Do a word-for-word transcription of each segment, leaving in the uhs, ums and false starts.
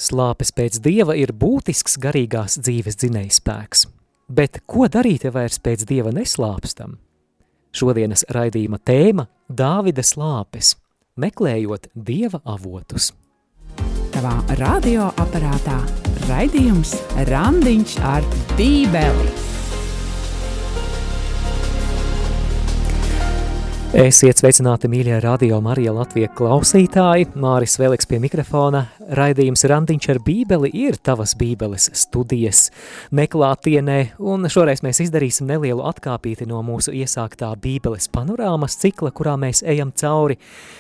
Slāpes pēc Dieva ir būtisks garīgās dzīves dzinējspēks. Bet ko darīt, ja vairs pēc Dieva neslāpstam? Šodienas raidījuma tēma – Dāvida slāpes, meklējot Dieva avotus. Tavā radioaparātā raidījums Randiņš ar Bībeli. Esiet sveicināti, mīļie Radio Marija Latvija klausītāji. Māris Veliks pie mikrofona. Raidījums Randiņš ar Bībeli ir tavas Bībeles studijas neklātienē, un šoreiz mēs izdarīsim nelielu atkāpīti no mūsu iesāktā Bībeles panorāmas cikla, kurā mēs ejam cauri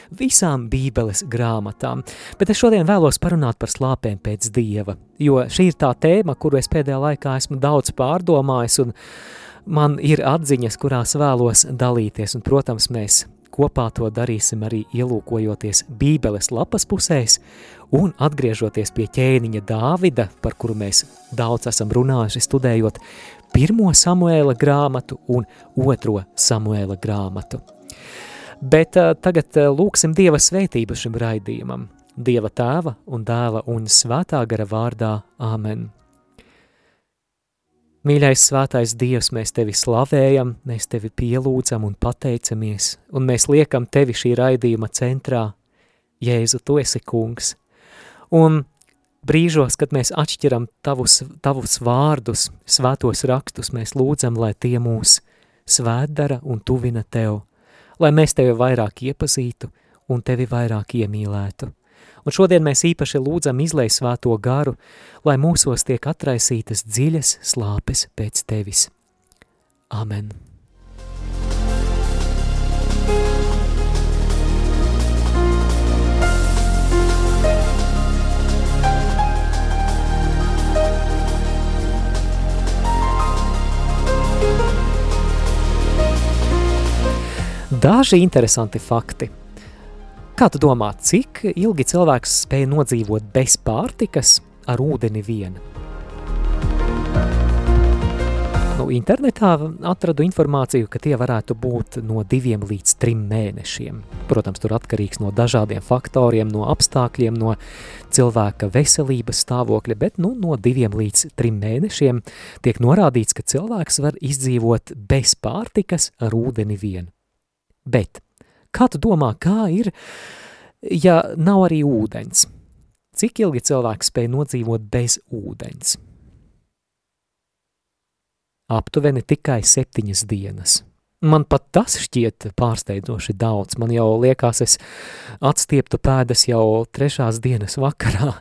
visām Bībeles grāmatām. Bet es šodien vēlos parunāt par slāpēm pēc Dieva, jo šī ir tā tēma, kuru es pēdējā laikā esmu daudz pārdomājis, un man ir atziņas, kurās vēlos dalīties, un, protams, mēs kopā to darīsim arī ielūkojoties Bībeles lapas pusēs un atgriežoties pie ķēniņa Dāvida, par kuru mēs daudz esam runājuši, studējot pirmo Samuēla grāmatu un otro Samuēla grāmatu. Bet uh, tagad uh, lūksim Dieva svētību šim raidījumam. Dieva tēva un dēla un svētā gara vārdā. Āmen. Mīļais svētais Dievs, mēs Tevi slavējam, mēs Tevi pielūdzam un pateicamies, un mēs liekam Tevi šī raidījuma centrā. Jēzu, Tu esi kungs. Un brīžos, kad mēs atšķiram tavus, tavus vārdus, svētos rakstus, mēs lūdzam, lai tie mūs svētdara un tuvina Tev, lai mēs Tevi vairāk iepazītu un Tevi vairāk iemīlētu. Un šodien mēs īpaši lūdzam izlej svēto garu, lai mūsos tiek atraisītas dziļas slāpes pēc Tevis. Amen. Daži interesanti fakti. Kā tu domā, cik ilgi cilvēks spēja nodzīvot bez pārtikas ar ūdeni vien? Nu, internetā atradu informāciju, ka tie varētu būt no diviem līdz trim mēnešiem. Protams, tur atkarīgs no dažādiem faktoriem, no apstākļiem, no cilvēka veselības stāvokļa, bet nu, no diviem līdz trim mēnešiem tiek norādīts, ka cilvēks var izdzīvot bez pārtikas ar ūdeni vien. Bet kā tu domā, kā ir, ja nav arī ūdens? Cik ilgi cilvēks spēj nodzīvot bez ūdens? Aptuveni tikai septiņas dienas. Man pat tas šķiet pārsteidzoši daudz. Man jau liekas, es atstieptu pēdas jau trešās dienas vakarā.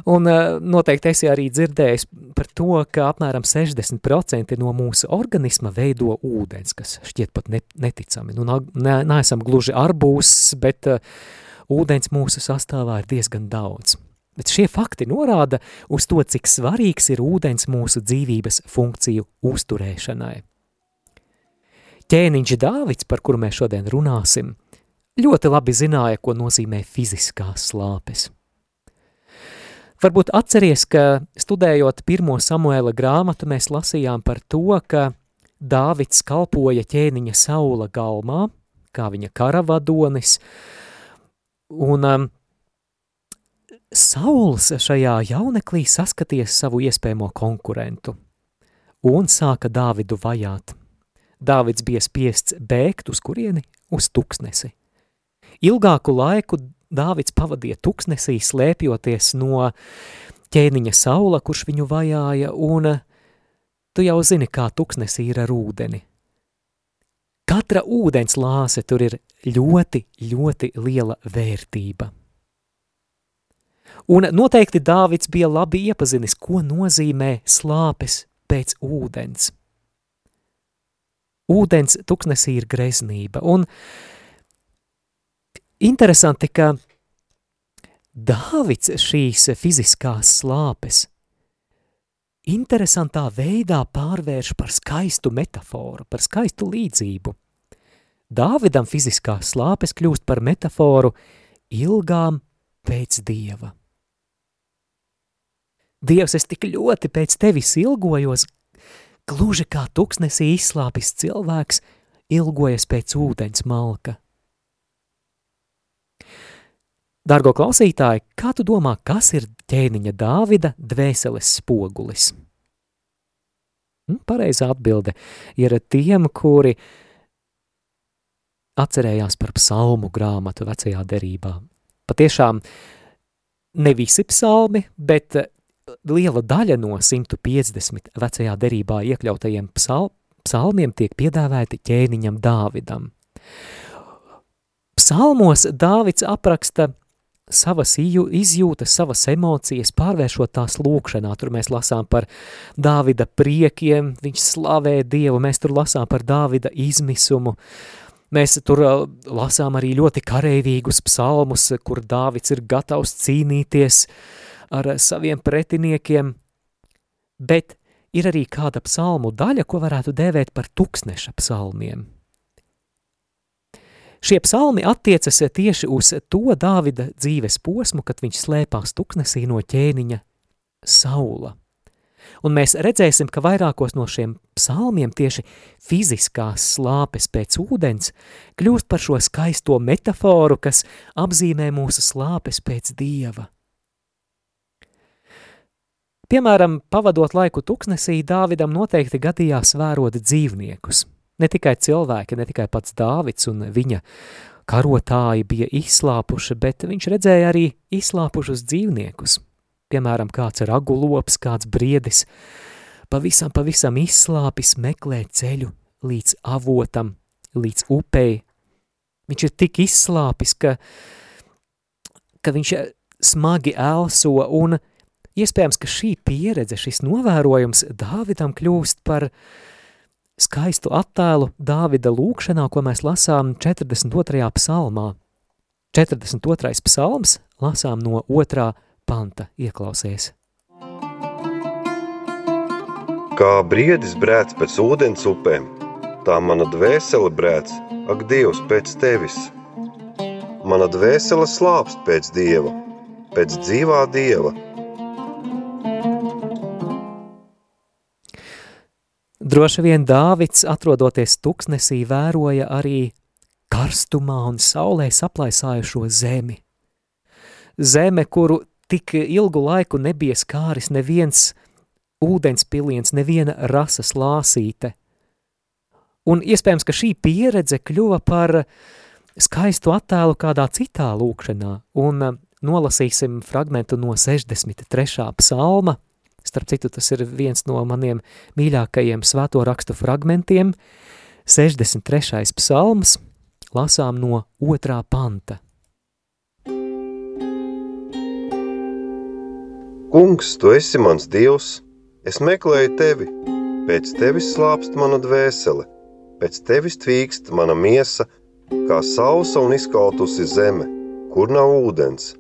Un noteikti esi arī dzirdējis par to, ka apmēram sešdesmit procenti no mūsu organisma veido ūdens, kas šķiet pat neticami. Nu, ne, neesam gluži arbūs, bet uh, ūdens mūsu sastāvā ir diezgan daudz. Bet šie fakti norāda uz to, cik svarīgs ir ūdens mūsu dzīvības funkciju uzturēšanai. Ķēniņš Dāvids, par kuru mēs šodien runāsim, ļoti labi zināja, ko nozīmē fiziskās slāpes. Varbūt atceries, ka studējot pirmo Samuēla grāmatu, mēs lasījām par to, ka Dāvids kalpoja ķēniņa Saula galmā, kā viņa karavadonis, un um, Sauls šajā jauneklī saskaties savu iespējamo konkurentu un sāka Dāvidu vajāt. Dāvids bija spiests bēgt uz kurieni? Uz tuksnesi. Ilgāku laiku Dāvids pavadīja tuksnesī, slēpjoties no ķēniņa Saula, kurš viņu vajāja, un tu jau zini, kā tuksnesī ir ar ūdeni. Katra ūdens lāse tur ir ļoti, ļoti liela vērtība. Un noteikti Dāvids bija labi iepazinis, ko nozīmē slāpes pēc ūdens. Ūdens tuksnesī ir greznība, un interesanti, ka Dāvids šīs fiziskās slāpes interesantā veidā pārvērš par skaistu metaforu, par skaistu līdzību. Dāvidam fiziskās slāpes kļūst par metaforu ilgām pēc Dieva. Dievs, es tik ļoti pēc tevis ilgojos, gluži kā tuksnesī izslāpis cilvēks ilgojas pēc ūdens malka. Dārgo klausītāji, kā tu domā, kas ir ķēniņa Dāvida dvēseles spogulis? Pareizā atbilde ir tiem, kuri atcerējās par psalmu grāmatu vecajā derībā. Patiešām ne visi psalmi, bet liela daļa no simt piecdesmit vecajā derībā iekļautajiem psal, psalmiem tiek piedāvēti ķēniņam Dāvidam. Psalmos Dāvids apraksta savas izjūtas, savas emocijas, pārvēršot tās lūkšanā. Tur mēs lasām par Dāvida priekiem, viņš slavē Dievu, mēs tur lasām par Dāvida izmisumu. Mēs tur lasām arī ļoti kareivīgus psalmus, kur Dāvids ir gatavs cīnīties ar saviem pretiniekiem, bet ir arī kāda psalmu daļa, ko varētu dēvēt par tuksneša psalmiem. Šie psalmi attiecas tieši uz to Dāvida dzīves posmu, kad viņš slēpās tuksnesī no ķēniņa Saula. Un mēs redzēsim, ka vairākos no šiem psalmiem tieši fiziskās slāpes pēc ūdens kļūst par šo skaisto metaforu, kas apzīmē mūsu slāpes pēc Dieva. Piemēram, pavadot laiku tuksnesī, Dāvidam noteikti gadījās vērot dzīvniekus. Ne tikai cilvēki, ne tikai pats Dāvids un viņa karotāji bija izslāpuši, bet viņš redzēja arī izslāpušus dzīvniekus. Piemēram, kāds ragulops, kāds briedis, pavisam, pavisam izslāpis meklē ceļu līdz avotam, līdz upei. Viņš ir tik izslāpis, ka, ka viņš smagi elso, un iespējams, ka šī pieredze, šis novērojums Dāvidam kļūst par skaistu attēlu Dāvida lūkšanā, ko mēs lasām četrdesmit otrajā psalmā. četrdesmit otrais psalms lasām no otrā panta, ieklausies. Kā briedis brēc pēc ūdens upēm, tā mana dvēsele brēc, ak Dievs, pēc tevis. Mana dvēsele slāpst pēc Dieva, pēc dzīvā Dieva. Droši vien Dāvids, atrodoties tuksnesī, vēroja arī karstumā un saulē saplaisājušo zemi. Zeme, kuru tik ilgu laiku nebija skāris neviens ūdens piliens, neviena rasas lāsīte. Un iespējams, ka šī pieredze kļuva par skaistu attēlu kādā citā lūkšanā, un nolasīsim fragmentu no sešdesmit trešā psalma. Starp citu, tas ir viens no maniem mīļākajiem svēto rakstu fragmentiem. sešdesmit trešais psalms, lasām no otrā panta. Kungs, tu esi mans Dievs, es meklēju tevi, pēc tevis slāpst mana dvēsele, pēc tevis tvīkst mana miesa, kā sausa un izkaltusi zeme, kur nav ūdens.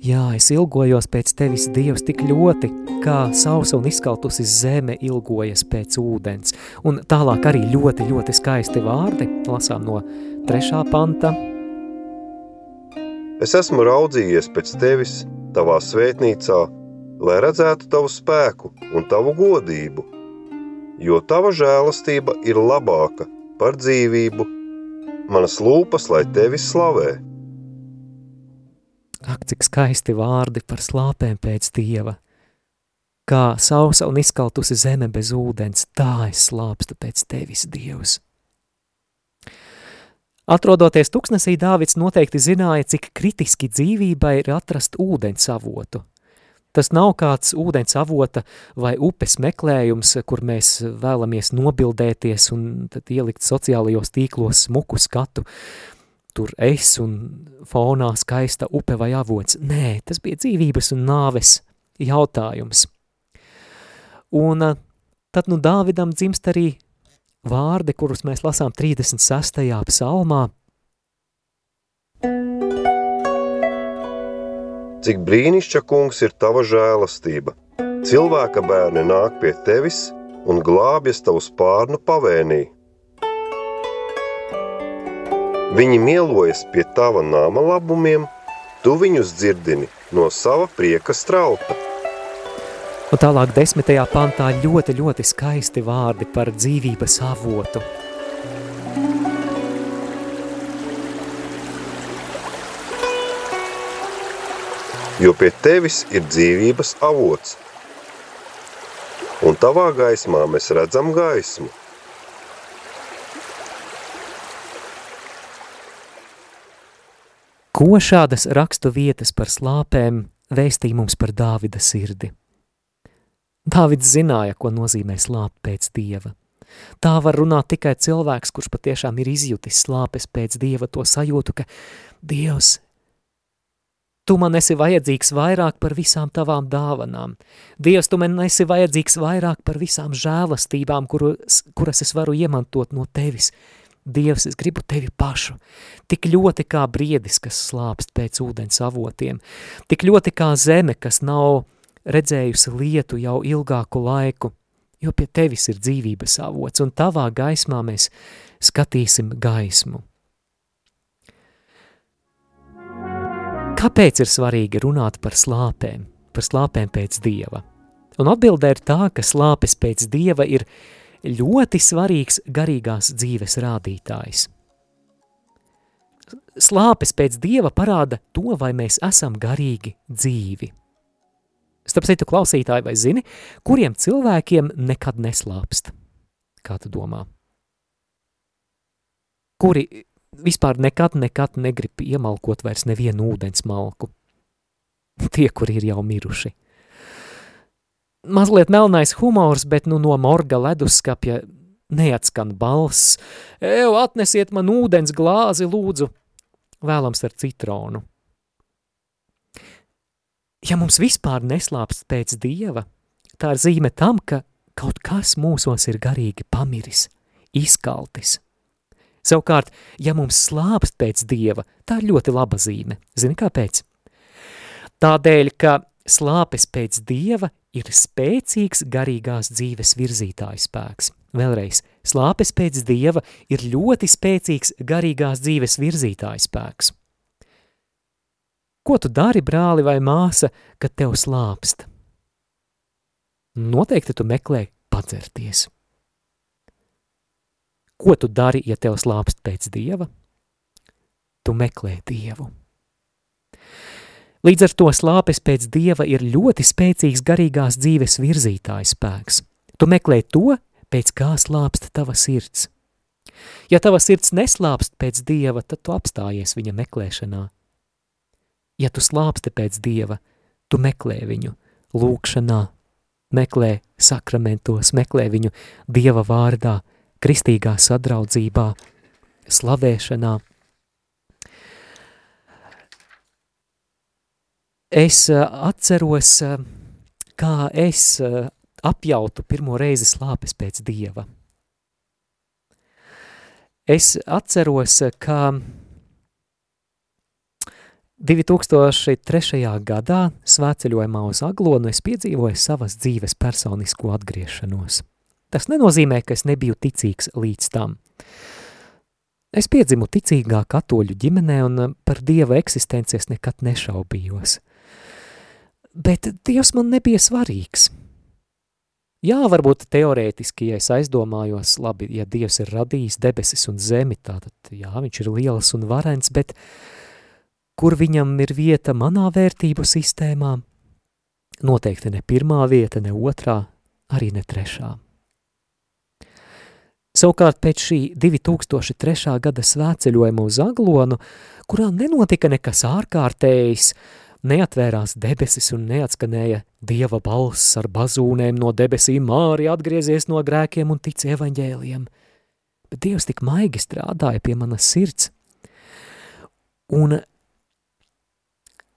Jā, es ilgojos pēc tevis, Dievs, tik ļoti, kā sausa un izkaltusi zeme ilgojas pēc ūdens. Un tālāk arī ļoti, ļoti skaisti vārdi, lasām no trešā panta. Es esmu raudzījies pēc tevis, tavā svētnīcā, lai redzētu tavu spēku un tavu godību, jo tava žēlastība ir labāka par dzīvību, manas lūpas, lai tevi slavē. Ak, cik skaisti vārdi par slāpēm pēc Dieva. Kā sausa un izkaltusi zeme bez ūdens, tā es slāpstu pēc tevis, Dievs. Atrodoties tuksnesī, Dāvids noteikti zināja, cik kritiski dzīvībai ir atrast ūdens avotu. Tas nav kāds ūdens avota vai upes meklējums, kur mēs vēlamies nobildēties un tad ielikt sociālajos tīklos smuku skatu. Tur es un fonā skaista upe vai avots. Nē, tas bija dzīvības un nāves jautājums. Un tad nu Dāvidam dzimst arī vārdi, kurus mēs lasām trīsdesmit sestajā psalmā. Cik brīnišķa, kungs, ir tava žēlastība. Cilvēka bērni nāk pie tevis un glābjas tavu spārnu pavēnī. Viņi mielojas pie tava nama labumiem, tu viņus dzirdini no sava prieka strauta. Un tālāk desmitajā pantā ļoti, ļoti skaisti vārdi par dzīvības avotu. jo pie tevis ir dzīvības avots, un tavā gaismā mēs redzam gaismu. Ko šādas rakstu vietas par slāpēm vēstīja mums par Dāvida sirdi? Dāvids zināja, ko nozīmē slāpt pēc Dieva. Tā var runāt tikai cilvēks, kurš patiešām ir izjutis slāpes pēc Dieva, to sajūtu, ka Dievs, tu man esi vajadzīgs vairāk par visām tavām dāvanām. Dievs, tu man esi vajadzīgs vairāk par visām žēlastībām, kuras, kuras es varu iemantot no tevis. Dievs, es gribu tevi pašu, tik ļoti kā briedis, kas slāpst pēc ūdens avotiem, tik ļoti kā zeme, kas nav redzējusi lietu jau ilgāku laiku, jo pie tevis ir dzīvības avots, un tavā gaismā mēs skatīsim gaismu. Kāpēc ir svarīgi runāt par slāpēm, par slāpēm pēc Dieva? Un atbilde ir tā, ka slāpes pēc Dieva ir ļoti svarīgs garīgās dzīves rādītājs. Slāpes pēc Dieva parāda to, vai mēs esam garīgi dzīvi. Starp citu, klausītāji, vai zini, kuriem cilvēkiem nekad neslāpst? Kā tu domā? Kuri vispār nekad, nekad negrib iemalkot vairs nevienu ūdens malku? Tie, kuri ir jau miruši. Mazliet melnais humors, bet nu no morga leduskapja neatskan balss. Ev, atnesiet man ūdens glāzi, lūdzu, vēlams ar citronu. Ja mums vispār neslāpst pēc Dieva, tā ir zīme tam, ka kaut kas mūsos ir garīgi pamiris, izkaltis. Savukārt, ja mums slāpst pēc Dieva, tā ir ļoti laba zīme. Zini, kāpēc? Tādēļ, ka slāpes pēc Dieva ir spēcīgs garīgās dzīves virzītājs spēks. Vēlreiz, slāpes pēc Dieva ir ļoti spēcīgs garīgās dzīves virzītājs spēks. Ko tu dari, brāli vai māsa, kad tev slāpst? Noteikti tu meklē padzerties. Ko tu dari, ja tev slāpst pēc Dieva? Tu meklē Dievu. Līdz ar to slāpes pēc Dieva ir ļoti spēcīgs garīgās dzīves virzītājs spēks. Tu meklē to, pēc kā slāpst tava sirds. Ja tava sirds neslāpst pēc Dieva, tad tu apstājies viņa meklēšanā. Ja tu slāpsti pēc Dieva, tu meklē viņu lūkšanā, meklē sakramentos, meklē viņu Dieva vārdā, kristīgā sadraudzībā, slavēšanā. Es atceros, kā es apjautu pirmo reizi slāpes pēc Dieva. Es atceros, ka divi tūkstoši trešajā gadā svētceļojumā uz Aglonu es piedzīvoju savas dzīves personisko atgriešanos. Tas nenozīmē, ka es nebiju ticīgs līdz tam. Es piedzimu ticīgā katoļu ģimenē un par Dieva eksistenci es nekad nešaubījos. Bet Dievs man nebija svarīgs. Jā, varbūt teorētiski, ja es aizdomājos, labi, ja Dievs ir radījis debesis un zemi, tātad, jā, viņš ir liels un varens, bet kur viņam ir vieta manā vērtību sistēmā? Noteikti ne pirmā vieta, ne otrā, arī ne trešā. Savukārt pēc šī divi tūkstoši trešā gada svētceļojuma uz Aglonu, kurā nenotika nekas ārkārtējs, neatvērās debesis un neatskanēja Dieva balss ar bazūnēm no debesīm, Māri atgriezies no grēkiem un tic evaņģēlijam. Bet Dievs tik maigi strādāja pie manas sirds. Un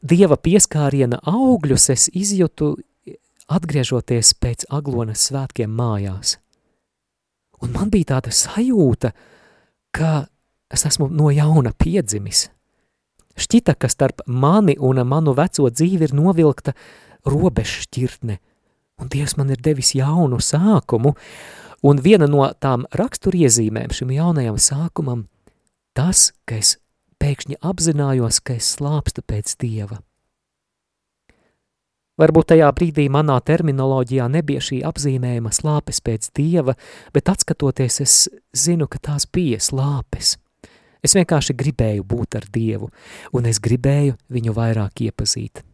Dieva pieskāriena augļus es izjūtu atgriežoties pēc Aglonas svētkiem mājās. Un man bija tāda sajūta, ka es esmu no jauna piedzimis. Šķita, ka starp mani un manu veco dzīvi ir novilkta robežšķirtne, un Dievs man ir devis jaunu sākumu, un viena no tām raksturiezīmēm šim jaunajam sākumam tas, ka es pēkšņi apzinājos, ka es slāpstu pēc Dieva. Varbūt tajā brīdī manā terminoloģijā nebija šī apzīmējuma slāpes pēc Dieva, bet atskatoties es zinu, ka tās bija slāpes. Es vienkārši gribēju būt ar Dievu, un es gribēju viņu vairāk iepazīt.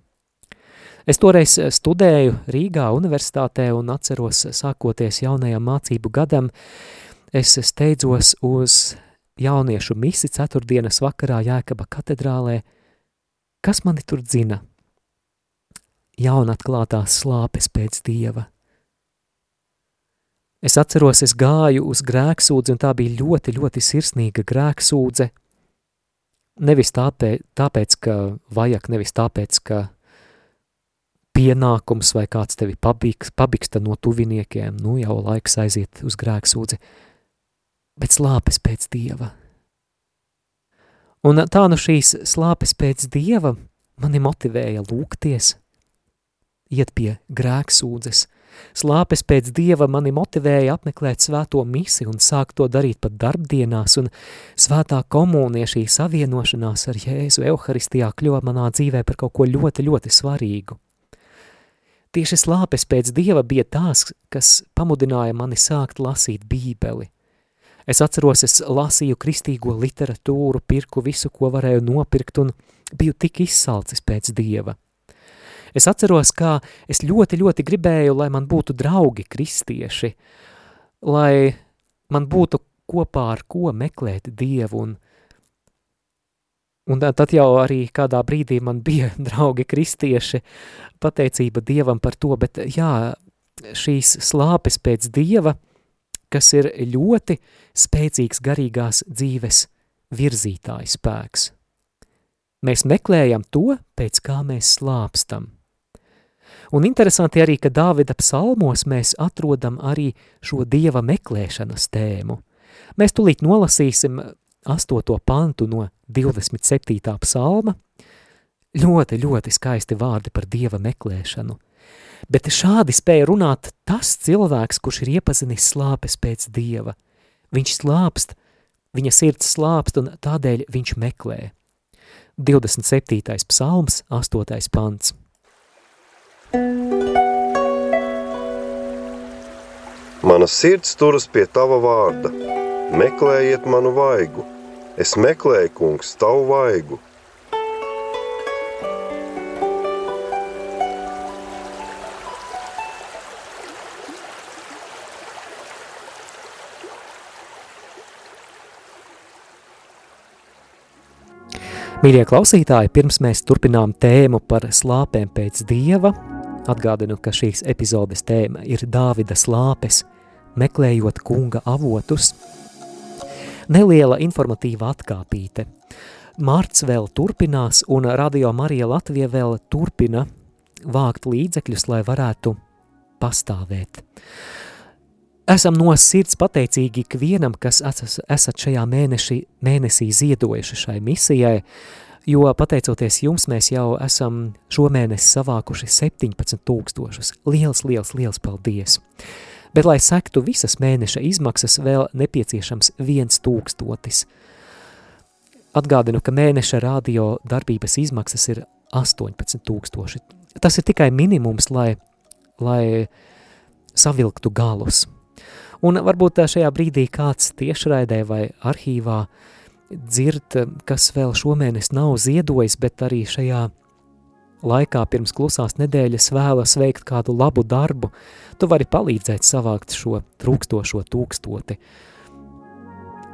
Es toreiz studēju Rīgā universitātē un atceros, sākoties jaunajam mācību gadam, es steidzos uz jauniešu misi ceturtdienas vakarā Jēkaba katedrālē. Kas mani tur dzina? Jaunatklātās slāpes pēc Dieva. Es atceros, es gāju uz grēksūdzi, un tā bija ļoti, ļoti sirsnīga grēksūdze. Nevis tāpēc, tāpēc, ka vajag, nevis tāpēc, ka pienākums vai kāds tevi pabiks, pabiksta no tuviniekiem, nu jau laiks aiziet uz grēksūdzi, bet slāpes pēc Dieva. Un tā nu šīs slāpes pēc Dieva mani motivēja lūgties, iet pie grēksūdzes. Slāpes pēc Dieva mani motivēja apmeklēt svēto misi un sākt to darīt pat darbdienās, un svētā komunija, šī savienošanās ar Jēzu Euharistijā kļuva manā dzīvē par kaut ko ļoti, ļoti svarīgu. Tieši slāpes pēc Dieva bija tās, kas pamudināja mani sākt lasīt Bībeli. Es atceros, es lasīju kristīgo literatūru, pirku visu, ko varēju nopirkt, un biju tik izsalcis pēc Dieva. Es atceros, kā es ļoti, ļoti gribēju, lai man būtu draugi kristieši, lai man būtu kopā ar ko meklēt Dievu, un, un tad jau arī kādā brīdī man bija draugi kristieši, pateicība Dievam par to, bet jā, šīs slāpes pēc Dieva, kas ir ļoti spēcīgs garīgās dzīves virzītājs spēks. Mēs meklējam to, pēc kā mēs slāpstam. Un interesanti arī, ka Dāvida psalmos mēs atrodam arī šo Dieva meklēšanas tēmu. Mēs tulīt nolasīsim astoto pantu no divdesmit septītā psalma. Ļoti, ļoti skaisti vārdi par Dieva meklēšanu. Bet šādi spēja runāt tas cilvēks, kurš ir iepazinis slāpes pēc Dieva. Viņš slāpst, viņa sirds slāpst, un tādēļ viņš meklē. divdesmit septītais psalms, astotais pants. Mana sirds turas pie tava vārda, meklējiet manu vaigu, es meklēju, kungs, tavu vaigu. Mīļie klausītāji, pirms mēs turpinām tēmu par slāpēm pēc Dieva, atgādinu, ka šīs epizodes tēma ir Dāvida slāpes, meklējot kunga avotus. Neliela informatīva atkāpīte. Marts vēl turpinās, un Radio Marija Latvija vēl turpina vākt līdzekļus, lai varētu pastāvēt. Esam no sirds pateicīgi ikvienam, kas esat šajā mēneši, mēnesī ziedojuši šai misijai, jo pateicoties jums mēs jau esam šomēnes savākuši septiņpadsmit tūkstošus. Liels, liels, liels paldies! Bet, lai sektu visas mēneša izmaksas, vēl nepieciešams viens tūkstotis. Atgādinu, ka mēneša radio darbības izmaksas ir astoņpadsmit tūkstoši. Tas ir tikai minimums, lai, lai savilktu galus. Un varbūt šajā brīdī kāds tiešraidē vai arhīvā dzird, kas vēl šomēnes nav ziedojis, bet arī šajā laikā pirms klusās nedēļas vēlas veikt kādu labu darbu, tu vari palīdzēt savākt šo trūkstošo tūkstoti.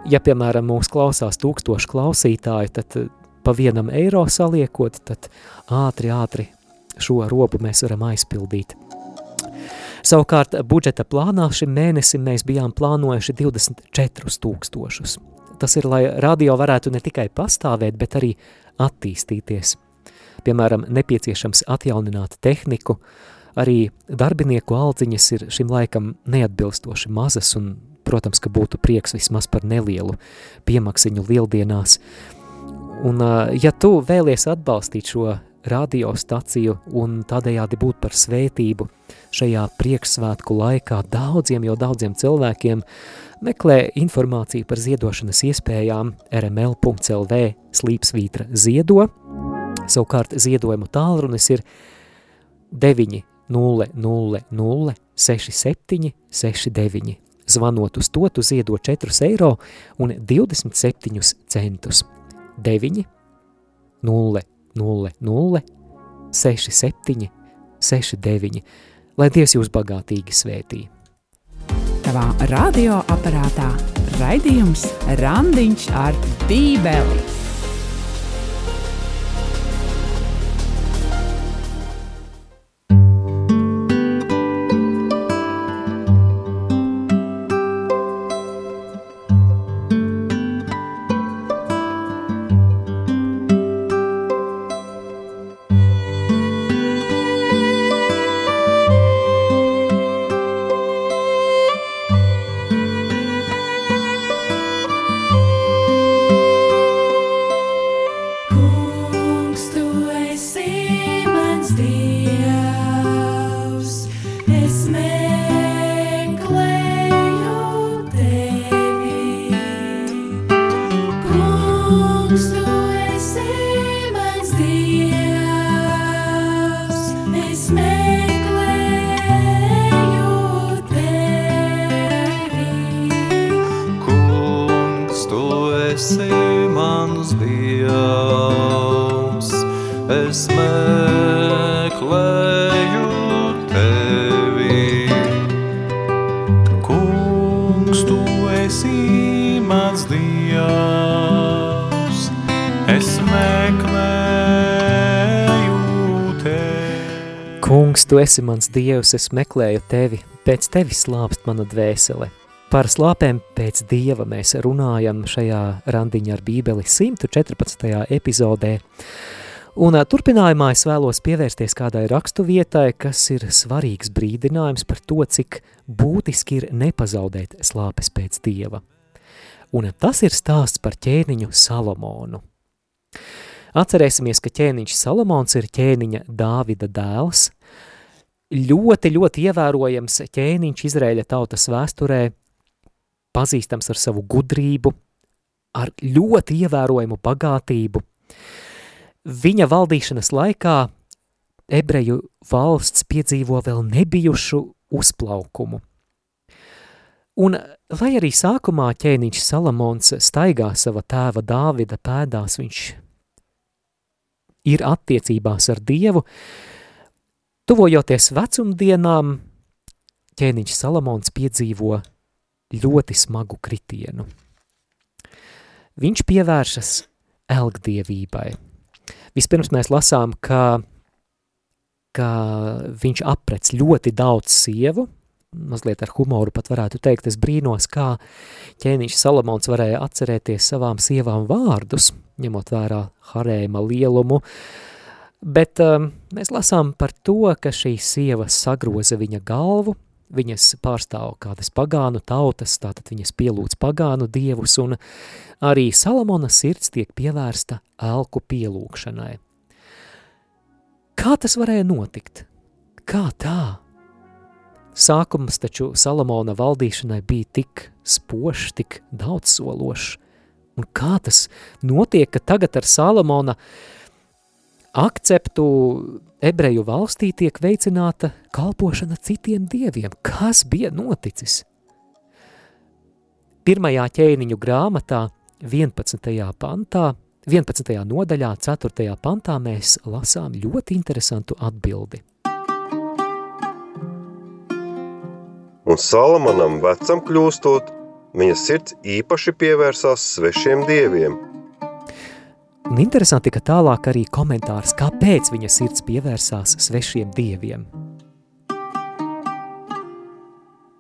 Ja, piemēram, mūs klausās tūkstoši klausītāji, tad pa vienam eiro saliekot, tad ātri, ātri šo robu mēs varam aizpildīt. Savukārt budžeta plānā šim mēnesim mēs bijām plānojuši divdesmit četrus tūkstošus. Tas ir, lai radio varētu ne tikai pastāvēt, bet arī attīstīties. Piemēram, nepieciešams atjaunināt tehniku, arī darbinieku aldziņas ir šim laikam neatbilstoši mazas, un, protams, ka būtu prieks vismaz par nelielu piemaksiņu lieldienās. Un, ja tu vēlies atbalstīt šo radiostaciju un tādējādi būt par svētību šajā priekšsvētku laikā daudziem, jau daudziem cilvēkiem, meklē informāciju par ziedošanas iespējām r m l punkts l v slīpsvītra ziedo. Savukārt ziedojumu tālrunis ir deviņi nulle nulle nulle seši septiņi seši deviņi. Zvanot uz to, tu ziedo četrus eiro un divdesmit septiņus centus. deviņi nulle nulle nulle seši septiņi seši deviņi. Lai Dievs jūs bagātīgi svētī. Tavā radioaparātā raidījums Randiņš ar Bībeli. Kungs, tu esi mans Dievs, es meklēju tevi, pēc tevis slāpst mana dvēsele. Par slāpēm pēc Dieva mēs runājam šajā Randiņa ar Bībeli simt četrpadsmitajā epizodē. Un turpinājumā es vēlos pievērsties kādai rakstu vietai, kas ir svarīgs brīdinājums par to, cik būtiski ir nepazaudēt slāpes pēc Dieva. Un tas ir stāsts par ķēniņu Salomonu. Atcerēsimies, ka ķēniņš Salomons ir ķēniņa Dāvida dēls. Ļoti, ļoti ievērojams ķēniņš Izraēļa tautas vēsturē, pazīstams ar savu gudrību, ar ļoti ievērojamu bagātību. Viņa valdīšanas laikā ebreju valsts piedzīvo vēl nebijušu uzplaukumu. Un, lai arī sākumā ķēniņš Salomons staigā sava tēva Dāvida pēdās, viņš ir attiecībās ar Dievu, tuvojoties vecumdienām, ķēniņš Salomons piedzīvo ļoti smagu kritienu. Viņš pievēršas elgdievībai. Vispirms mēs lasām, ka, ka viņš aprec ļoti daudz sievu, mazliet ar humoru pat varētu teikt, es brīnos, kā ķēniņš Salomons varēja atcerēties savām sievām vārdus, ņemot vērā harēma lielumu, bet um, mēs lasām par to, ka šīs sievas sagroza viņa galvu, viņas pārstāv kādas pagānu tautas, tātad viņas pielūdz pagānu dievus, un arī Salomona sirds tiek pievērsta elku pielūgšanai. Kā tas varēja notikt? Kā tā? Sākums taču Salomona valdīšanai bija tik spošs, tik daudzsološs. Un kā tas notiek, ka tagad ar Salomona akceptu ebreju valstī tiek veicināta kalpošana citiem dieviem? Kas bija noticis? Pirmajā ķēniņu grāmatā, vienpadsmitajā pantā, vienpadsmitajā nodaļā, ceturtajā pantā mēs lasām ļoti interesantu atbildi. Un Salomonam vecam kļūstot, viņa sirds īpaši pievērsās svešiem dieviem. Un interesanti, ka tālāk arī komentārs, kāpēc viņa sirds pievērsās svešiem dieviem.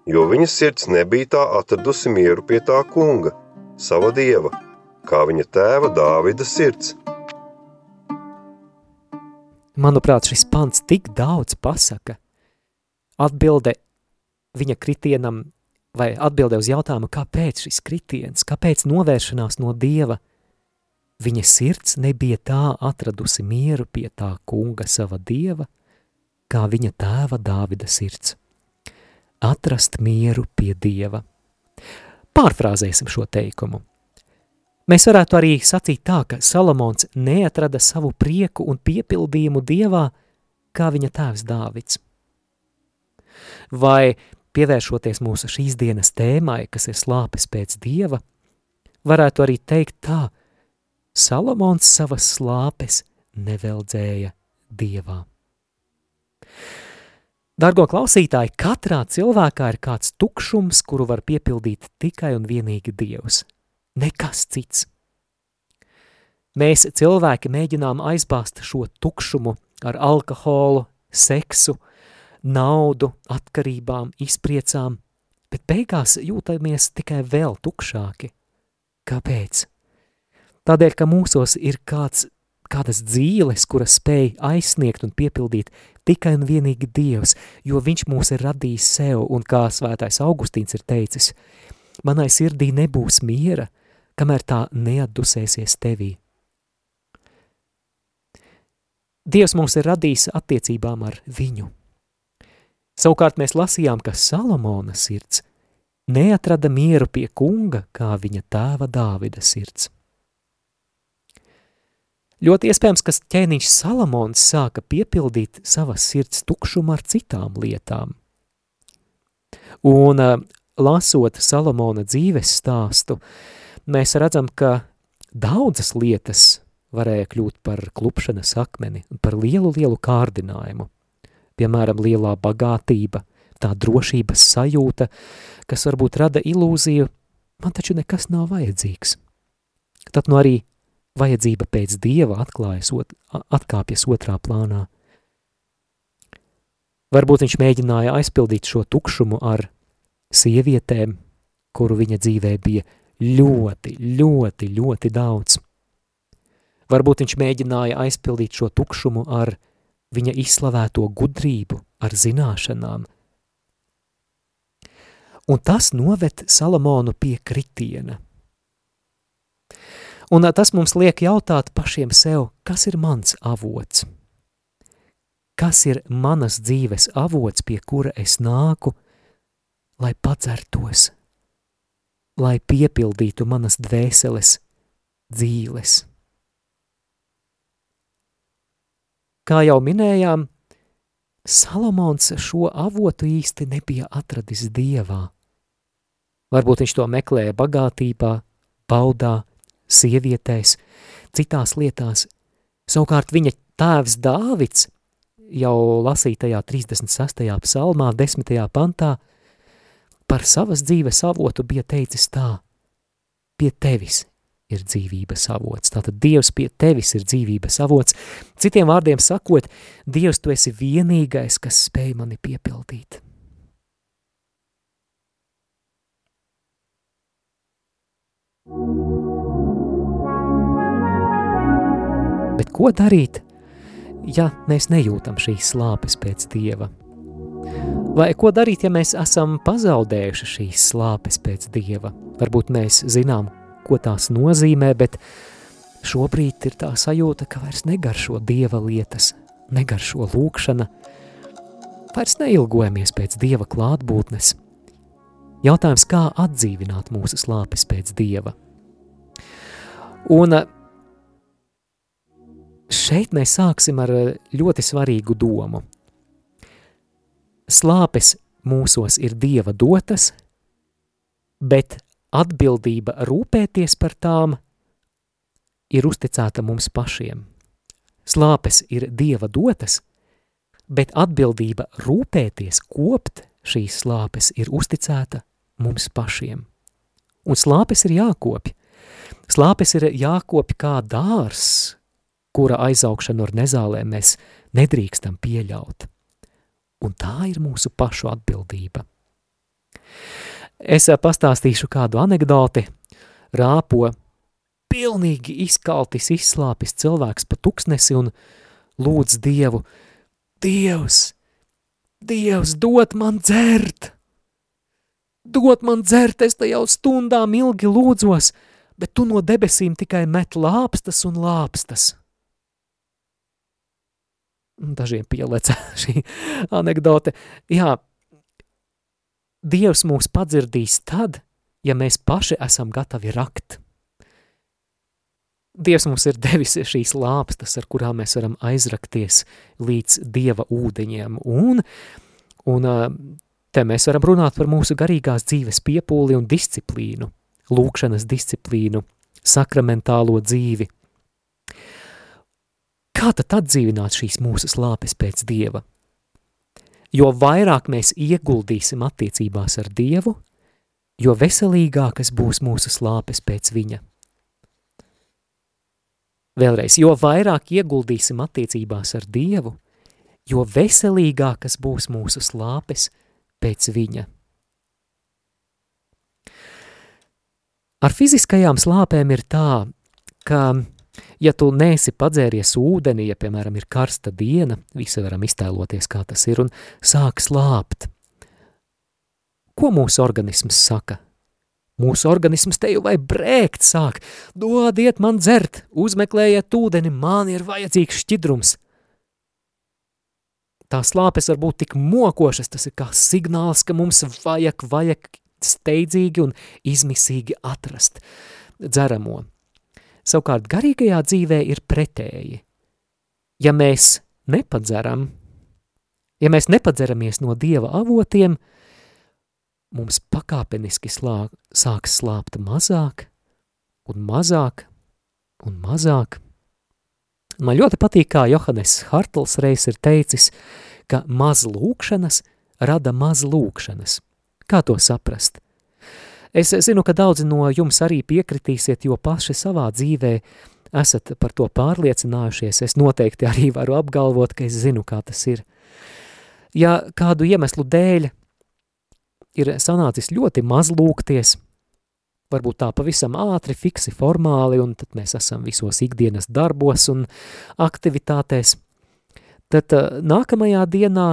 Jo viņa sirds nebija tā atradusi mieru pie tā kunga, sava dieva, kā viņa tēva Dāvida sirds. Manuprāt, šis pants tik daudz pasaka. Atbilde viņa kritienam, vai atbilde uz jautājumu, kāpēc šis kritiens, kāpēc novēršanās no Dieva, viņa sirds nebija tā atradusi mieru pie tā kunga sava Dieva, kā viņa tēva Dāvida sirds. Atrast mieru pie Dieva. Pārfrāzēsim šo teikumu. Mēs varētu arī sacīt tā, ka Salomons neatrada savu prieku un piepildījumu Dievā, kā viņa tēvs Dāvids. Vai pievēršoties mūsu šīs dienas tēmai, kas ir slāpes pēc Dieva, varētu arī teikt tā, Salomons savas slāpes neveldzēja Dievā. Dargo klausītāji, katrā cilvēkā ir kāds tukšums, kuru var piepildīt tikai un vienīgi Dievs. Nekas cits. Mēs cilvēki mēģinām aizbāzt šo tukšumu ar alkoholu, seksu, naudu, atkarībām, izpriecām, bet beigās jūtamies tikai vēl tukšāki. Kāpēc? Tādēļ, ka mūsos ir kāds, kādas dzīles, kuras spēj aizsniegt un piepildīt tikai un vienīgi Dievs, jo viņš mūs ir radījis sev, un kā svētais Augustīns ir teicis, manai sirdī nebūs miera, kamēr tā neatdusēsies tevī. Dievs mūs ir radījis attiecībām ar viņu. Savukārt mēs lasījām, ka Salomona sirds neatrada mieru pie kunga, kā viņa tēva Dāvida sirds. Ļoti iespējams, ka ķēniņš Salomons sāka piepildīt savas sirds tukšumu ar citām lietām. Un lasot Salomona dzīves stāstu, mēs redzam, ka daudzas lietas varēja kļūt par klupšanas akmeni un par lielu, lielu kārdinājumu. Piemēram, lielā bagātība, tā drošības sajūta, kas varbūt rada ilūziju, man taču nekas nav vajadzīgs. Tad nu arī vajadzība pēc Dieva atklājas, ot, atkāpjas otrā plānā. Varbūt viņš mēģināja aizpildīt šo tukšumu ar sievietēm, kuru viņa dzīvē bija ļoti, ļoti, ļoti daudz. Varbūt viņš mēģināja aizpildīt šo tukšumu ar viņa izslavēto gudrību, ar zināšanām. Un tas noved Salomonu pie kritiena. Un tas mums liek jautāt pašiem sev, kas ir mans avots? Kas ir manas dzīves avots, pie kura es nāku, lai padzertos, lai piepildītu manas dvēseles dzīles? Kā jau minējām, Salomons šo avotu īsti nebija atradis Dievā. Varbūt viņš to meklēja bagātībā, baudā, sievietēs, citās lietās. Savukārt viņa tēvs Dāvids jau lasītajā trīsdesmit sestajā psalmā, desmitajā pantā, par savas dzīves avotu bija teicis tā: pie tevis ir dzīvības avots. Tātad Dievs pie tevis ir dzīvības avots. Citiem vārdiem sakot, Dievs, tu esi vienīgais, kas spēj mani piepildīt. Bet ko darīt, ja mēs nejūtam šīs slāpes pēc Dieva? Vai ko darīt, ja mēs esam pazaudējuši šīs slāpes pēc Dieva? Varbūt mēs zinām, ko tās nozīmē, bet šobrīd ir tā sajūta, ka vairs negaršo Dieva lietas, negaršo lūkšana, vairs neilgojamies pēc Dieva klātbūtnes. Jautājums, kā atdzīvināt mūsu slāpes pēc Dieva? Un šeit mēs sāksim ar ļoti svarīgu domu. Slāpes mūsos ir Dieva dotas, bet atbildība rūpēties par tām ir uzticēta mums pašiem. Slāpes ir Dieva dotas, bet atbildība rūpēties, kopt šīs slāpes ir uzticēta mums pašiem. Un slāpes ir jākopj. Slāpes ir jākopj kā dārs, kura aizaugšanu ar nezālēm mēs nedrīkstam pieļaut. Un tā ir mūsu pašu atbildība. Es pastāstīšu kādu anekdoti. Rāpo pilnīgi izkaltis, izslāpis cilvēks pa tuksnesi un lūdz Dievu: Dievs, Dievs, dod man dzert! Dod man dzert, es te jau stundām ilgi lūdzos, bet tu no debesīm tikai met lāpstas un lāpstas. Dažiem pieleca šī anekdote. Jā, Dievs mūs padzirdīs tad, ja mēs paši esam gatavi rakt. Dievs mums ir devis šīs lāpstas, ar kurām mēs varam aizrakties līdz Dieva ūdeņiem. Un, un te mēs varam runāt par mūsu garīgās dzīves piepūli un disciplīnu, lūkšanas disciplīnu, sakramentālo dzīvi. Kā tad atdzīvināt šīs mūsu slāpes pēc Dieva? jo vairāk mēs ieguldīsim attiecībās ar Dievu, jo veselīgākas būs mūsu slāpes pēc viņa. Vēlreiz, jo vairāk ieguldīsim attiecībās ar Dievu, jo veselīgākas būs mūsu slāpes pēc viņa. Ar fiziskajām slāpēm ir tā, ka, ja tu neesi padzēries ūdeni, ja, piemēram, ir karsta diena, visi varam iztēloties, kā tas ir, un sāk slāpt. Ko mūsu organisms saka? Mūsu organisms teju vai brēkt sāk, dodiet man dzert, uzmeklējiet ūdeni, man ir vajadzīgs šķidrums. Tā slāpes var būt tik mokošas, tas ir kā signāls, ka mums vajag, vajag steidzīgi un izmisīgi atrast dzeramo. Savukārt garīgajā dzīvē ir pretēji. Ja mēs nepadzeram, ja mēs nepadzeramies no Dieva avotiem, mums pakāpeniski slā, sāks slāpt mazāk un mazāk un mazāk. Man ļoti patīk, kā Johannes Hartls reiz ir teicis, ka maz lūkšanas rada maz lūkšanas. Kā to saprast? Es zinu, ka daudzi no jums arī piekritīsiet, jo paši savā dzīvē esat par to pārliecinājušies. Es noteikti arī varu apgalvot, ka es zinu, kā tas ir. Ja kādu iemeslu dēļ ir sanācis ļoti maz lūgties, varbūt tā pavisam ātri, fiksi, formāli, un tad mēs esam visos ikdienas darbos un aktivitātēs, tad nākamajā dienā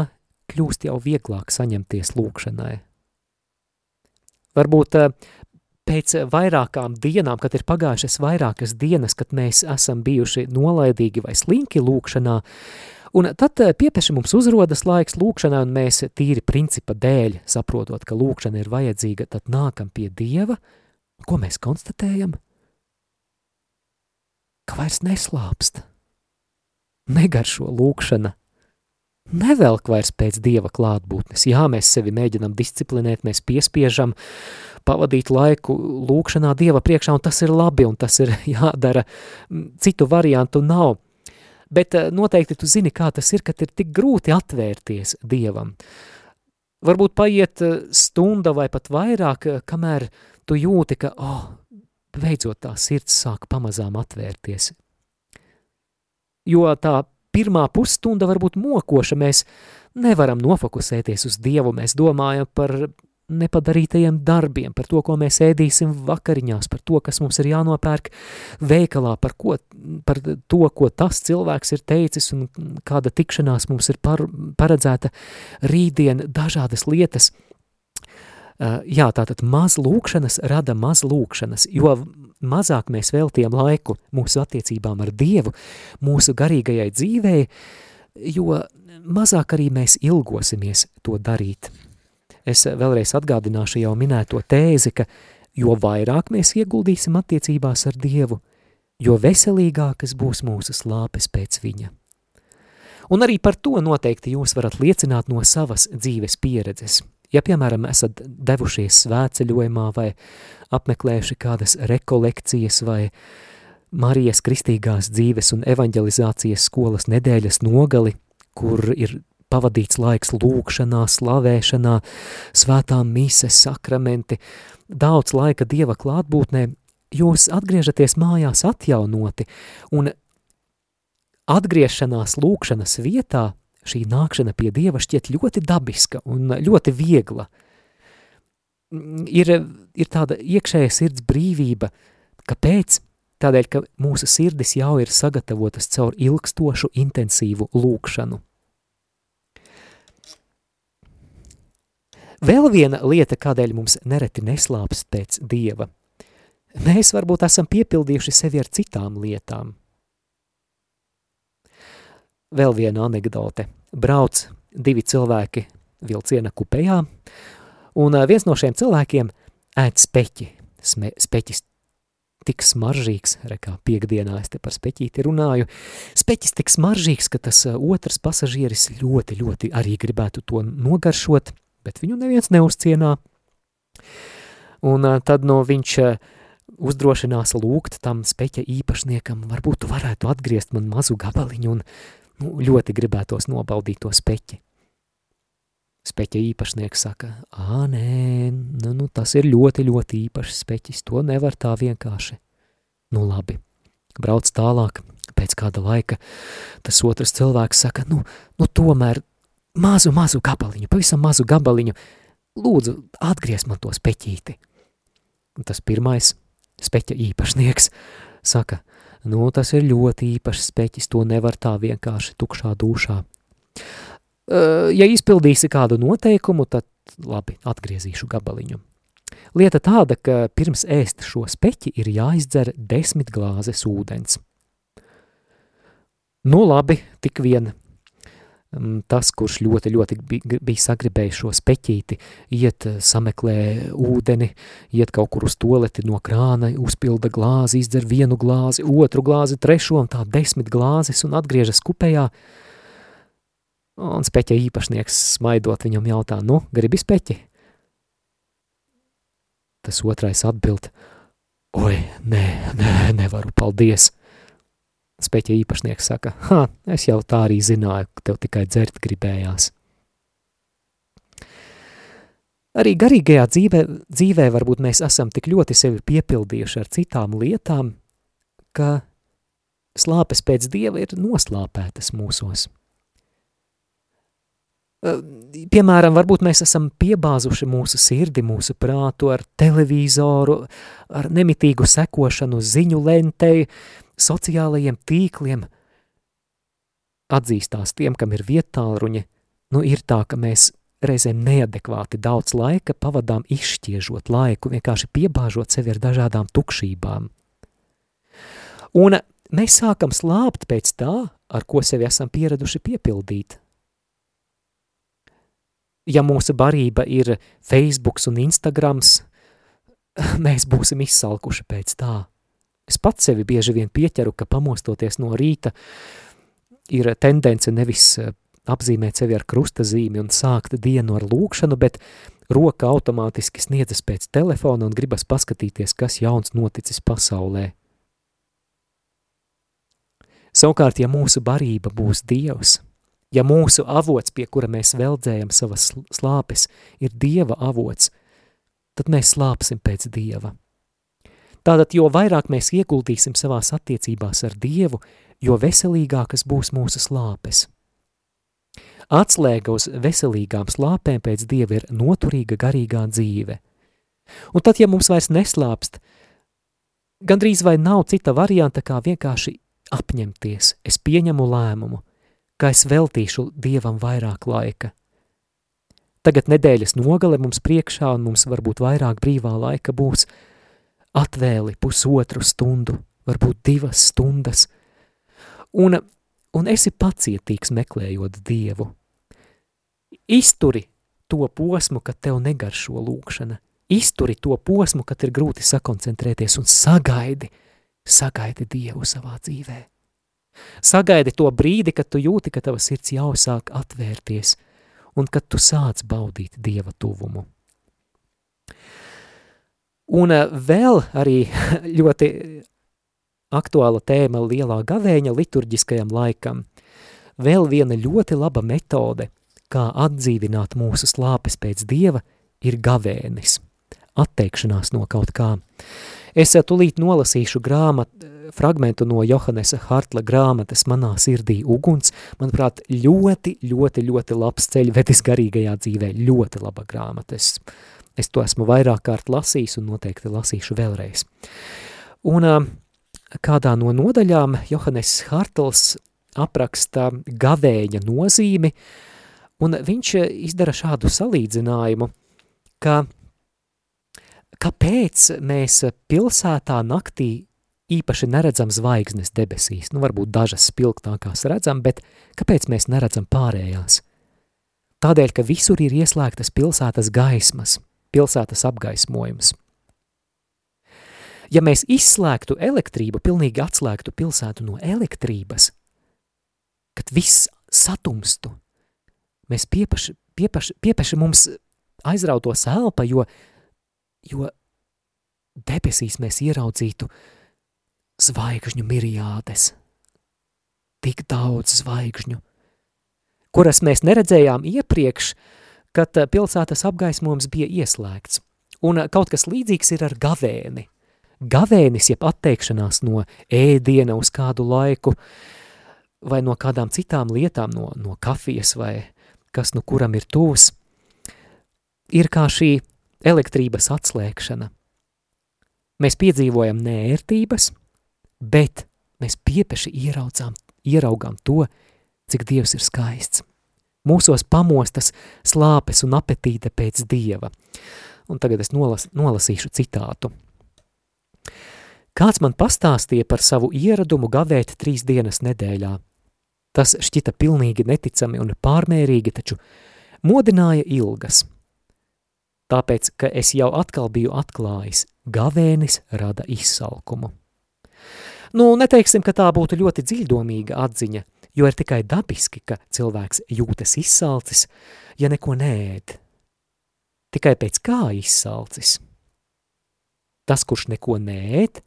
kļūst jau vieglāk saņemties lūgšanai. Varbūt pēc vairākām dienām, kad ir pagājušas vairākas dienas, kad mēs esam bijuši nolaidīgi vai slinki lūgšanā, un tad piepeši mums uzrodas laiks lūgšanai, un mēs tīri principa dēļ, saprotot, ka lūgšana ir vajadzīga, tad nākam pie Dieva, ko mēs konstatējam? Ka vairs neslāpst, negaršo lūgšana, nevelk vairs pēc Dieva klātbūtnes. Jā, mēs sevi mēģinam disciplinēt, mēs piespiežam pavadīt laiku lūgšanā Dieva priekšā, un tas ir labi, un tas ir jādara, citu variantu nav. Bet noteikti tu zini, kā tas ir, kad ir tik grūti atvērties Dievam. Varbūt paiet stunda vai pat vairāk, kamēr tu jūti, ka, oh, beidzot tā sirds sāk pamazām atvērties. Jo tā pirmā pusstunda var būt mokoša, mēs nevaram nofokusēties uz Dievu, mēs domājam par nepadarītajiem darbiem, par to, ko mēs ēdīsim vakariņās, par to, kas mums ir jānopērk veikalā, par, ko, par to, ko tas cilvēks ir teicis un kāda tikšanās mums ir par, paredzēta rītdien, dažādas lietas. Jā, tātad maz lūkšanas rada maz lūkšanas, jo mazāk mēs veltījam laiku mūsu attiecībām ar Dievu, mūsu garīgajai dzīvei, jo mazāk arī mēs ilgosimies to darīt. Es vēlreiz atgādināšu jau minēto tēzi, ka jo vairāk mēs ieguldīsim attiecībās ar Dievu, jo veselīgākas būs mūsu slāpes pēc viņa. Un arī par to noteikti jūs varat liecināt no savas dzīves pieredzes. Ja, piemēram, esat devušies svētceļojumā vai apmeklējuši kādas rekolekcijas vai Marijas kristīgās dzīves un evanģelizācijas skolas nedēļas nogali, kur ir pavadīts laiks lūgšanā, slavēšanā, svētām mises, sakramenti, daudz laika Dieva klātbūtnē, jūs atgriežaties mājās atjaunoti, un atgriešanās lūgšanas vietā šī nākšana pie Dieva šķiet ļoti dabiska un ļoti viegla. Ir, ir tāda iekšēja sirds brīvība, kāpēc? Tādēļ, ka mūsu sirdis jau ir sagatavotas caur ilgstošu, intensīvu lūgšanu. Vēl viena lieta, kādēļ mums nereti neslāpst pēc Dieva. Mēs varbūt esam piepildījuši sevi ar citām lietām. Vēl viena anekdote. Brauc divi cilvēki vilciena kupejā, un viens no šiem cilvēkiem ēd speķi. Sme, speķis tik smaržīgs, rekā piekdienā es te par speķīti runāju, speķis tik smaržīgs, ka tas otrs pasažieris ļoti, ļoti arī gribētu to nogaršot, bet viņu neviens neuzcienā. Un tad no viņš uzdrošinās lūgt tam speķa īpašniekam, varbūt tu varētu atgriezt man mazu gabaliņu un nu, ļoti gribētos nobaudīt to speķi. Speķa īpašnieks saka, ā, nē, nu, nu, tas ir ļoti, ļoti īpašs speķis, to nevar tā vienkārši. Nu, labi, brauc tālāk, pēc kāda laika tas otrs cilvēks saka, nu, nu tomēr mazu, mazu gabaliņu, pavisam mazu gabaliņu, lūdzu, atgriez man to speķīti. Un tas pirmais speķa īpašnieks saka, nu, tas ir ļoti īpašs speķis, to nevar tā vienkārši tukšā dūšā. Ja izpildīsi kādu noteikumu, tad labi, atgriezīšu gabaliņu. Lieta tāda, ka pirms ēst šo speķi ir jāizdzer desmit glāzes ūdens. Nu labi, tik vien tas, kurš ļoti, ļoti bija sagribējis šo speķīti, iet sameklē ūdeni, iet kaut kur uz toleti no krāna, uzpilda glāzi, izdzer vienu glāzi, otru glāzi, trešo un tā desmit glāzes un atgriežas kupējā. Un speķa īpašnieks smaidot viņam jautā, nu, gribi speķi? Tas otrais atbild, oi, nē, nē, nevaru, paldies. Speķa īpašnieks saka, ha, es jau tā arī zināju, ka tev tikai dzert gribējās. Arī garīgajā dzīvē, dzīvē varbūt mēs esam tik ļoti sevi piepildījuši ar citām lietām, ka slāpes pēc Dieva ir noslāpētas mūsos. Piemēram, varbūt mēs esam piebāzuši mūsu sirdi, mūsu prātu ar televīzoru, ar nemitīgu sekošanu ziņu lentei, sociālajiem tīkliem. Atzīstās tiem, kam ir viettālruņi, nu ir tā, ka mēs reizēm neadekvāti daudz laika pavadām izšķiežot laiku, vienkārši piebāžot sevi ar dažādām tukšībām. Un mēs sākam slāpt pēc tā, ar ko sevi esam pieraduši piepildīt. Ja mūsu barība ir Facebooks un Instagrams, mēs būsim izsalkuši pēc tā. Es pats sevi bieži vien pieķeru, ka pamostoties no rīta ir tendence nevis apzīmēt sevi ar krustazīmi un sākt dienu ar lūkšanu, bet roka automātiski sniedzas pēc telefona un gribas paskatīties, kas jauns noticis pasaulē. Savukārt, ja mūsu barība būs Dievs, ja mūsu avots, pie kura mēs veldzējam savas slāpes, ir Dieva avots, tad mēs slāpsim pēc Dieva. Tātad, jo vairāk mēs ieguldīsim savās attiecībās ar Dievu, jo veselīgākas būs mūsu slāpes. Atslēga uz veselīgām slāpēm pēc Dieva ir noturīga garīgā dzīve. Un tad, ja mums vairs neslāpst, gandrīz vai nav cita varianta, kā vienkārši apņemties, es pieņemu lēmumu, ka es veltīšu Dievam vairāk laika. Tagad nedēļas nogale mums priekšā un mums varbūt vairāk brīvā laika būs, atvēli pusotru stundu, varbūt divas stundas, un, un esi pacietīgs meklējot Dievu. Izturi to posmu, kad tev negaršo lūkšana, izturi to posmu, kad ir grūti sakoncentrēties un sagaidi, sagaidi Dievu savā dzīvē. Sagaidi to brīdi, kad tu jūti, ka tava sirds jau sāk atvērties un kad tu sāc baudīt Dieva tuvumu. Un vēl arī ļoti aktuāla tēma lielā gavēņa liturģiskajam laikam. Vēl viena ļoti laba metode, kā atdzīvināt mūsu slāpes pēc Dieva, ir gavēnis, atteikšanās no kaut kā. Es tūlīt nolasīšu grāmatu, fragmentu no Johannesa Hartla grāmatas Manā sirdī uguns, manuprāt, ļoti, ļoti, ļoti labs ceļvedis garīgajā dzīvē, ļoti laba grāmata. Es, es to esmu vairāk kārt lasījis un noteikti lasīšu vēlreiz. Un kādā no nodaļām Johannes Hartls apraksta gavēņa nozīmi, un viņš izdara šādu salīdzinājumu, ka kāpēc mēs pilsētā naktī īpaši neredzam zvaigznes debesīs, nu varbūt dažas spilgtākās redzam, bet kāpēc mēs neredzam pārējās? Tādēļ, ka visur ir ieslēgtas pilsētas gaismas, pilsētas apgaismojums. Ja mēs izslēgtu elektrību, pilnīgi atslēgtu pilsētu no elektrības, kad viss satumstu, mēs piepaši, piepaši, piepaši mums aizrautos elpa, jo, jo debesīs mēs ieraudzītu zvaigžņu miriādes, tik daudz zvaigžņu, kuras mēs neredzējām iepriekš, kad pilsētas apgaismojums bija ieslēgts. Un kaut kas līdzīgs ir ar gavēni. Gavēnis, jeb atteikšanās no ēdiena uz kādu laiku, vai no kādām citām lietām, no, no kafijas vai kas nu kuram ir tūs, ir kā šī elektrības atslēgšana. Mēs piedzīvojam neērtības, bet mēs piepeši ieraudzām, ieraugām to, cik Dievs ir skaists. Mūsos pamostas slāpes un apetīte pēc Dieva. Un tagad es nolas, nolasīšu citātu. Kāds man pastāstīja par savu ieradumu gavēt trīs dienas nedēļā. Tas šķita pilnīgi neticami un pārmērīgi, taču modināja ilgas. Tāpēc, ka es jau atkal biju atklājis, gavēnis rada izsalkumu. Nu, neteiksim, ka tā būtu ļoti dziļdomīga atziņa, jo ir tikai dabiski, ka cilvēks jūtas izsalcis, ja neko neēd. Tikai pēc kā izsalcis. Tas, kurš neko neēd,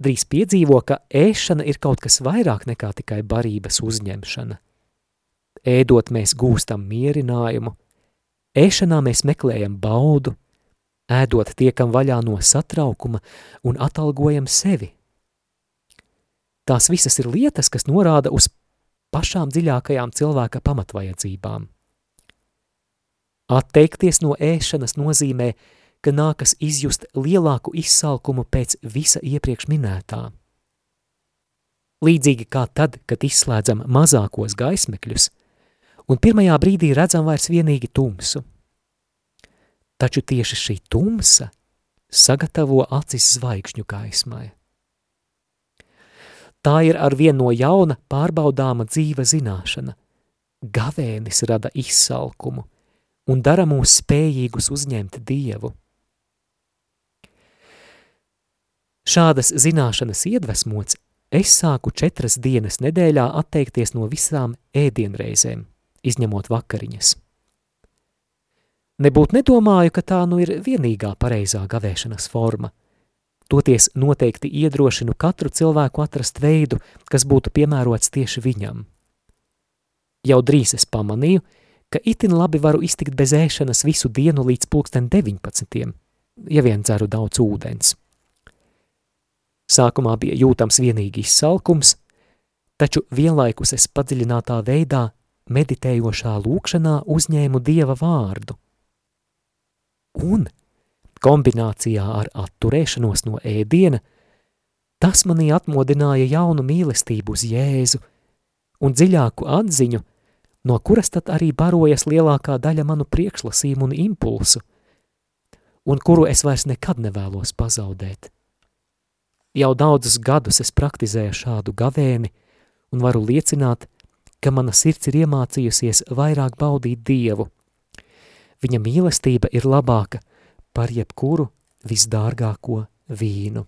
drīz piedzīvo, ka ēšana ir kaut kas vairāk nekā tikai barības uzņemšana. Ēdot mēs gūstam mierinājumu, ēšanā mēs meklējam baudu, ēdot tiekam vaļā no satraukuma un atalgojam sevi. Tās visas ir lietas, kas norāda uz pašām dziļākajām cilvēka pamatvajadzībām. Atteikties no ēšanas nozīmē, ka nākas izjust lielāku izsalkumu pēc visa iepriekš minētā. Līdzīgi kā tad, kad izslēdzam mazākos gaismekļus, un pirmajā brīdī redzam vairs vienīgi tumsu. Taču tieši šī tumsa sagatavo acis zvaigžņu gaismai. Tā ir ar vien no jauna pārbaudāma dzīva zināšana. Gavēnis rada izsalkumu un dara mūs spējīgus uzņemt Dievu. Šādas zināšanas iedvesmots, es sāku četras dienas nedēļā atteikties no visām ēdienreizēm, izņemot vakariņas. Nebūt nedomāju, ka tā nu ir vienīgā pareizā gavēšanas forma. Toties noteikti iedrošinu katru cilvēku atrast veidu, kas būtu piemērots tieši viņam. Jau drīz es pamanīju, ka itin labi varu iztikt bez ēšanas visu dienu līdz pulksten deviņpadsmitiem, ja vien dzeru daudz ūdens. Sākumā bija jūtams vienīgi izsalkums, taču vienlaikus es padziļinātā veidā meditējošā lūkšanā uzņēmu Dieva vārdu. Un kombinācijā ar atturēšanos no ēdiena, tas manī atmodināja jaunu mīlestību uz Jēzu un dziļāku atziņu, no kuras tad arī barojas lielākā daļa manu priekšlasījumu un impulsu, un kuru es vairs nekad nevēlos pazaudēt. Jau daudzus gadus es praktizēju šādu gavēni un varu liecināt, ka mana sirds ir iemācījusies vairāk baudīt Dievu. Viņa mīlestība ir labāka par jebkuru visdārgāko vīnu.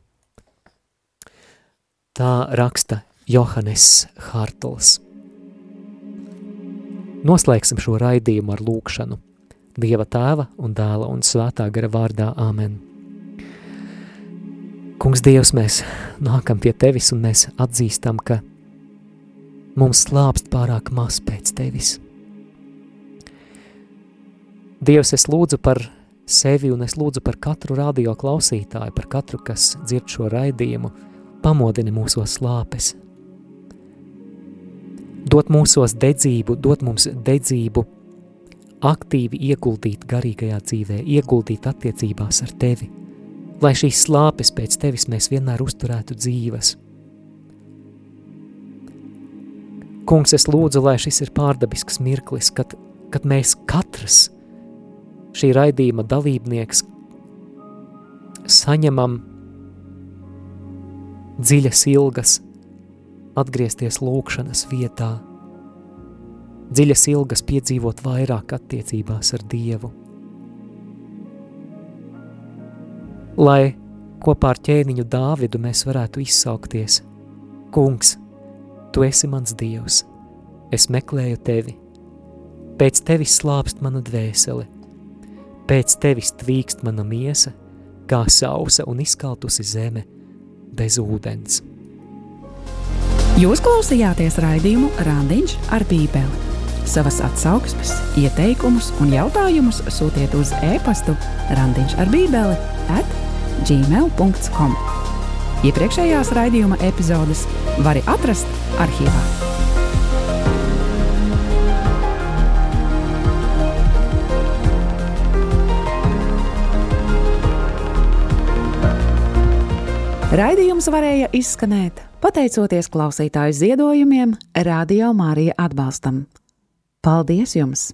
Tā raksta Johannes Hartls. Noslēgsim šo raidījumu ar lūkšanu. Dieva Tēva un Dēla un Svētā gara vārdā. Āmen. Kungs Dievs, mēs nākam pie Tevis un mēs atzīstam, ka mums slāpst pārāk maz pēc Tevis. Dievs, es lūdzu par sevi un es lūdzu par katru radio klausītāju, par katru, kas dzird šo raidījumu, pamodini mūsos slāpes. Dot mūsos dedzību, dot mums dedzību, aktīvi ieguldīt garīgajā dzīvē, ieguldīt attiecībās ar Tevi, lai šīs slāpes pēc Tevis mēs vienmēr uzturētu dzīves. Kungs, es lūdzu, lai šis ir pārdabisks mirklis, kad, kad mēs katrs šī raidījuma dalībnieks saņemam dziļas ilgas atgriezties lūkšanas vietā, dziļas ilgas piedzīvot vairāk attiecībās ar Dievu. Lai kopā ar ķēniņu Dāvidu mēs varētu izsaukties: Kungs, Tu esi mans Dievs, es meklēju Tevi, pēc Tevis slāpst mana dvēsele, pēc Tevis tvīkst mana miesa, kā sausa un izkaltusi zeme bez ūdens. Jūs klausījāties raidījumu Randiņš ar Bībeli. Savas atsauksmes, ieteikumus un jautājumus sūtiet uz e-pastu randiņš ar bībeli at gmail dot com. Iepriekšējās raidījuma epizodes vari atrast arhīvā. Raidījums varēja izskanēt pateicoties klausītāju ziedojumiem Radio Marija atbalstam. Paldies jums!